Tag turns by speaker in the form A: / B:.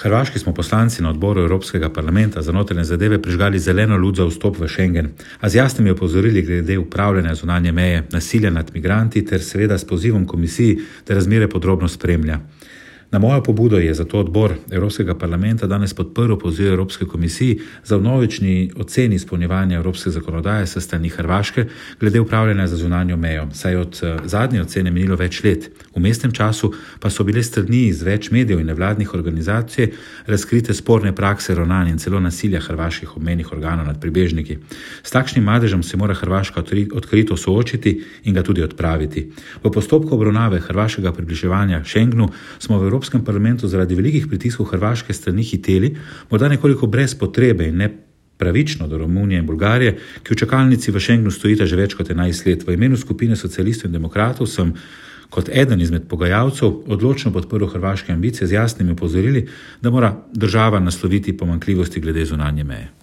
A: Hrvaški smo poslanci na odboru Evropskega parlamenta za notranje zadeve prižgali zeleno luč za vstop v Schengen, a z jasnimi opozorili glede upravljanja zunanje meje, nasilja nad migranti ter seveda s pozivom komisiji, da razmere podrobno spremlja. Na mojo pobudo je zato odbor Evropskega parlamenta danes podprl poziv Evropske komisiji za vnovični oceni izpolnjevanja evropske zakonodaje s strani Hrvaške glede upravljanja za zunanjo mejo, saj od zadnje ocene minilo več let. V mestnem času pa so bile strani iz več medijev in nevladnih organizacij razkrite sporne prakse ravnanja in celo nasilja hrvaških obmejnih organov nad pribežniki. S takšnim madežem se mora Hrvaška odkrito soočiti in ga tudi odpraviti. V postopku obravnave hrvaškega približevanja Schengenu smo v Evropskem parlamentu zaradi velikih pritiskov hrvaške strani hiteli, morda nekoliko brez potrebe in nepravično do Romunije in Bolgarije, ki v čakalnici v Schengenu stojita že več kot 11 let. V imenu skupine socialistov in demokratov sem kot eden izmed pogajalcev odločno podprl hrvaške ambicije z jasnimi opozorili, da mora država nasloviti pomanjkljivosti glede zunanje meje.